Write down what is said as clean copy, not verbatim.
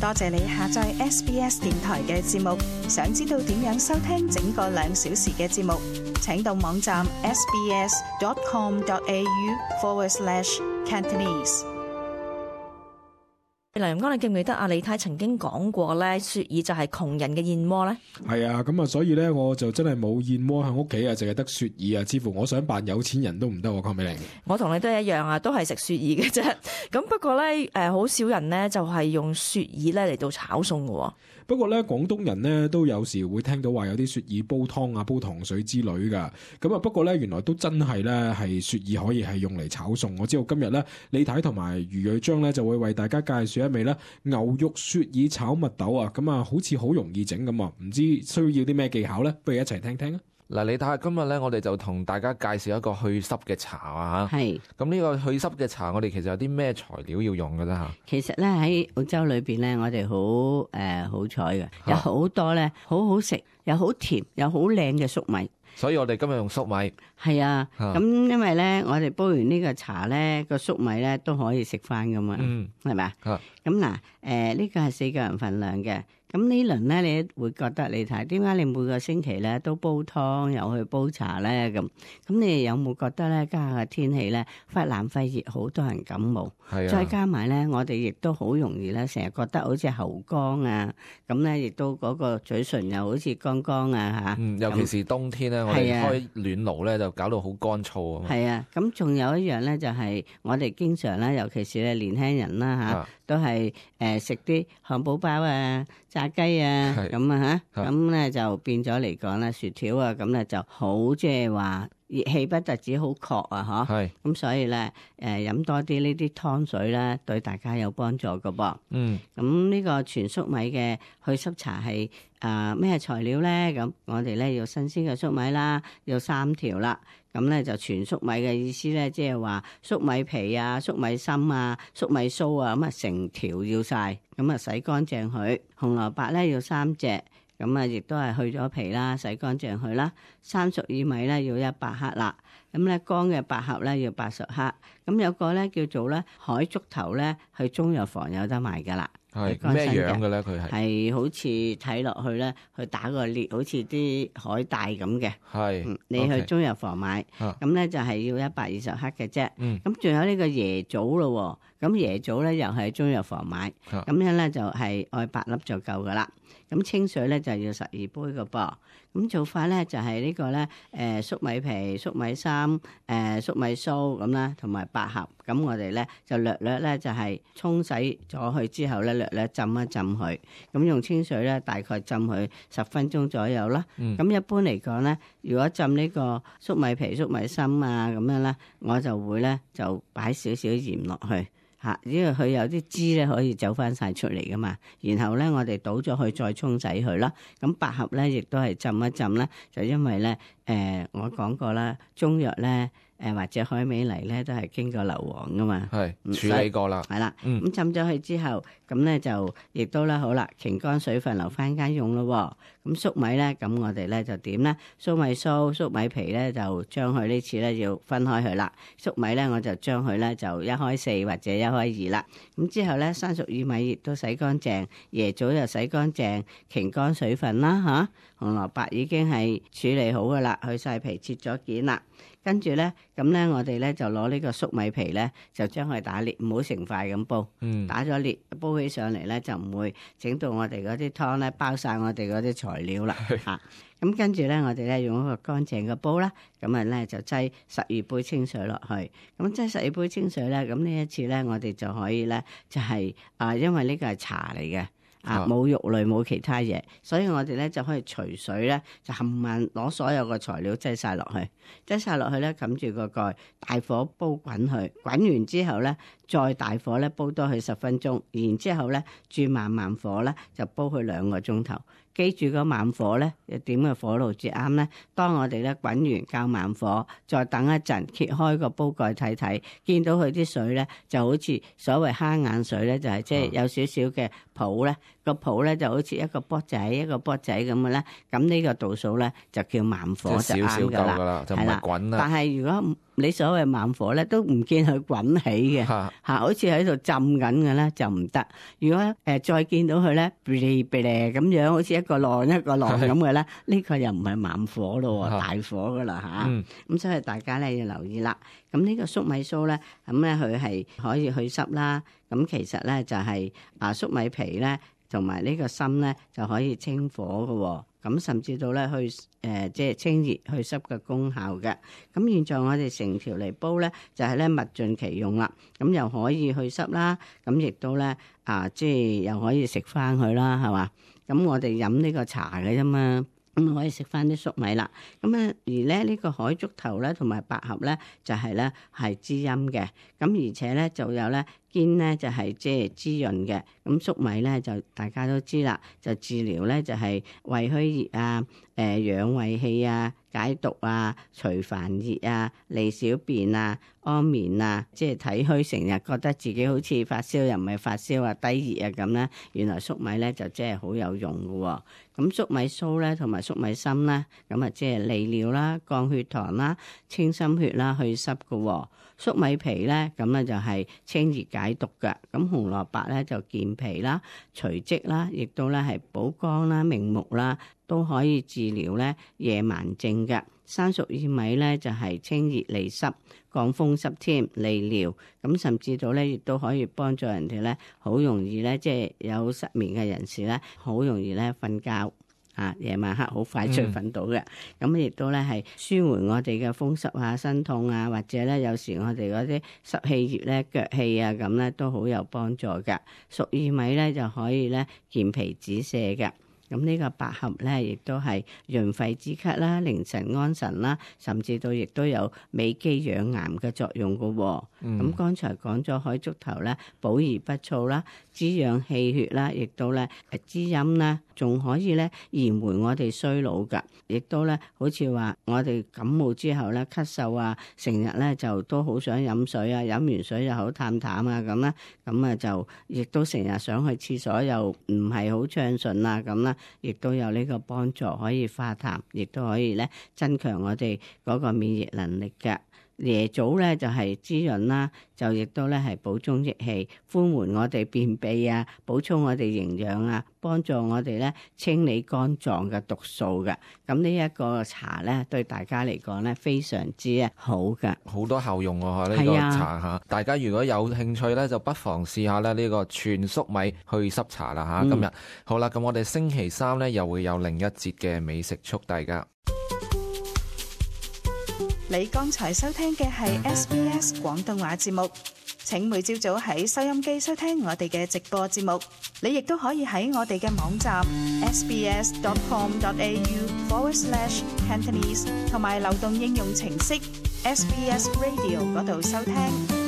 多謝你下載 SBS 電台嘅節目。想知道點樣收聽整個2小時嘅節目，請到網站 sbs.com.au/Cantonese。梁陽光，你記唔記得阿李太曾經講過咧，雪耳就係窮人嘅燕窩咧？係啊，咁啊，所以咧我就真係冇燕窩喺屋企啊，淨係得雪耳啊，似乎我想扮有錢人都唔得喎，鄺美玲。我同你都一樣啊，都係食雪耳嘅啫。咁不過咧，好少人咧就係用雪耳咧嚟到炒餸嘅。不過咧，廣東人咧都有時會聽到話有啲雪耳煲湯啊、煲糖水之類噶。咁啊，不過咧原來都真係咧係雪耳可以係用嚟炒餸。我知道今日咧李太同埋余瑞章咧就會為大家介紹一味咧牛肉雪耳炒蜜豆啊。咁啊，好似好容易整咁啊，唔知需要啲咩技巧咧？不如一齊聽聽啊！嗱，你睇下今日咧，我哋就同大家介紹一個去濕嘅茶啊嚇。係。咁呢個去濕嘅茶，我哋其實有啲咩材料要用嘅啫嚇？其實咧喺澳洲裏邊咧，我哋好好彩嘅，有好多咧好好食，又好甜，又好靚嘅粟米。所以我哋今日用粟米。係啊，咁因為咧，我哋煲完呢個茶咧，個粟米咧都可以食翻噶嘛，係咪啊？咁嗱，呢個係4個人份量嘅。咁呢輪咧，你會覺得你睇點解你每個星期咧都煲湯又去煲茶咧咁？咁你有冇覺得咧？家下嘅天氣咧，忽冷忽熱，好多人感冒。係啊。再加埋咧，我哋亦都好容易咧，成日覺得好似喉乾啊，咁咧亦都嗰個嘴唇又好似乾乾啊嚇。尤其是冬天咧，我哋開暖爐咧就搞到好乾燥啊。係啊，咁仲有一樣咧，就係我哋經常咧，尤其是咧年輕人啦嚇，都係食啲漢堡包啊、炸雞啊咁啊嚇，咁咧就變咗嚟講咧，薯條啊咁咧就好即係話熱氣不特止好確啊嚇，咁所以咧飲多啲呢啲湯水咧對大家有幫助㗎噃。咁呢個全粟米嘅去濕茶係咩材料咧？咁我哋咧要新鮮嘅粟米啦，要3條啦。咁咧就全粟米嘅意思咧，即係話粟米皮啊、粟米芯啊、粟米鬚啊，咁啊成條要晒，咁啊洗乾淨佢。紅蘿蔔咧要3隻，咁啊亦都係去咗皮啦，洗乾淨佢啦。生熟薏米咧要100克啦，咁咧乾嘅百合咧要80克。咁有個咧叫做咧海竹頭咧，去中藥房有得賣噶啦。係咩樣嘅咧？佢係好似睇落去咧，去打個裂，好似啲海帶咁嘅。係，你去中藥房買，咁咧就係要120克嘅啫。咁仲有呢個椰棗咯，咁椰棗咧又係喺中藥房買，咁樣咧就係愛8粒就夠噶啦。咁清水咧就要12杯嘅噃。咁做法咧就係呢個咧，粟米皮、粟米芯、粟米鬚咁啦，同埋百合。咁我哋咧就略略咧就係沖洗咗佢之後咧，略略浸一浸佢。咁用清水咧大概浸佢10分鐘左右啦。咁一般嚟講咧，如果浸呢個粟米皮、粟米芯啊咁樣咧，我就會咧就擺少少鹽落去。因為佢有啲汁咧可以走翻晒出嚟噶嘛，然後咧我哋倒咗佢再沖洗佢啦。咁百合咧亦都係浸一浸啦，就因為咧我講過啦，中藥咧或者海味嚟咧都係經過硫磺噶嘛，係處理過啦，係啦。咁浸咗佢之後，咁咧就亦都啦好啦，擎乾水分留翻間用咯。咁粟米咧，咁我哋咧就點咧？粟米鬚、粟米皮咧就將佢呢次咧要分開佢啦。粟米咧我就將佢咧就1/4或者1/2啦。咁之後咧生熟薏米亦都洗乾淨，椰棗又洗乾淨，擎乾水分啦嚇。紅蘿蔔已經係處理好噶啦，去晒皮切咗件啦。跟住咧，咁咧我哋咧就攞呢個粟米皮咧，就將佢打裂，唔好成塊咁煲。打咗裂，煲起上嚟咧就唔會整到我哋嗰啲湯咧包晒我哋嗰啲材料啦嚇。咁跟住咧，我哋咧用一個乾淨嘅煲啦，咁啊咧就擠12杯清水落去。咁擠12杯清水咧，咁呢一次咧我哋就可以咧就係因為呢個係茶嚟嘅。冇肉類冇其他嘢，所以我哋咧就可以隨水咧就冚唪攞所有嘅材料擠晒落去，咧冚住個蓋，大火煲滾佢，滾完之後咧再大火咧煲多佢10分鐘，然之後咧轉慢火咧就煲佢2個鐘頭。記住個慢火咧，點嘅火爐至啱咧？當我哋咧滾完較慢火，再等一陣，揭開個煲蓋睇睇，見到佢啲水咧就好似所謂蝦眼水咧，就係即係有少少嘅泡咧，個泡咧就好似一個波仔咁嘅咧。咁呢個度數咧就叫慢火就啱㗎啦，就唔係滾啦。但係如果你所謂慢火咧，都唔見佢滾起嘅嚇，好似喺度浸緊嘅咧就唔得。如果再見到佢咧，嗶哩嗶哩咁樣，好似一個浪一個浪咁嘅咧，呢個又唔係慢火咯，大火噶啦嚇。咁所以大家咧要留意啦。咁呢個粟米酥咧，咁咧佢係可以去濕啦。咁其實咧就係粟米皮咧同埋呢個心咧就可以清火嘅。咁甚至到咧去即係清熱去濕嘅功效嘅。咁現在我哋成條嚟煲咧，就係咧物盡其用啦。咁又可以去濕啦，咁亦都咧即係又可以食翻佢啦，係嘛？咁我哋飲呢個茶嘅啫嘛。咁可以食翻啲粟米啦，咁而咧呢個海竹頭咧同埋百合咧就係咧係滋陰嘅，咁而且咧就有咧堅咧就係即係滋潤嘅，咁粟米咧就大家都知啦，就治療咧就係胃虛熱啊、養胃氣啊、解毒啊、除煩熱啊、利小便啊、安眠啊，即係體虛成日覺得自己好似發燒又唔係發燒啊、低熱啊咁咧，原來粟米咧就即係好有用嘅喎。咁粟米酥咧同埋粟米芯咧，咁啊即係利尿啦、降血糖啦、清心血啦、去濕嘅喎。粟米皮咧咁咧就係清熱解毒嘅。咁紅蘿蔔咧就健脾啦、除積啦，亦都咧係補肝啦、明目啦，都可以治療咧夜盲症嘅。生熟薏米咧就係清熱利濕、降風濕添、利尿，咁甚至到咧亦都可以幫助人哋咧好容易咧即係有失眠嘅人士咧好容易咧瞓覺夜晚黑好快脆瞓到嘅。咁亦都咧係舒緩我哋嘅風濕啊、身痛啊，或者咧有時我哋嗰啲濕氣熱咧、腳氣啊咁咧都好有幫助嘅。熟薏米咧就可以咧健脾止瀉嘅。咁呢個百合咧，亦都係潤肺止咳啦、寧神安神啦，甚至到亦都有美肌養顏嘅作用嘅喎。咁剛才講咗海竹頭咧，補而不燥啦，滋養氣血啦，亦都咧滋陰啦，仲可以咧延緩我哋衰老㗎。亦都咧好似話我哋感冒之後咧咳嗽啊，成日咧就都好想飲水啊，飲完水又好淡淡啊咁啦，咁啊就亦都成日想去廁所又唔係好暢順啊咁啦。亦都有呢個幫助，可以化痰，亦都可以咧增強我哋嗰個免疫能力嘅。椰棗咧就係滋潤啦，就亦都咧係補中益氣，寬緩我哋便秘啊，補充我哋營養啊，幫助我哋咧清理肝臟嘅毒素嘅。咁呢一個茶咧對大家嚟講咧非常之好嘅，好多效用喎呢個茶嚇。大家如果有興趣咧，就不妨試下咧呢個全粟米去濕茶啦嚇。今日好啦，咁我哋星期三咧又會有另一節嘅美食速遞㗎。你剛才收聽嘅係 SBS 廣東話節目，請每朝早喺收音機收聽我哋嘅直播節目。你亦都可以喺我哋嘅網站 sbs.com.au/Cantonese 同埋流動應用程式 SBS Radio 嗰度收聽。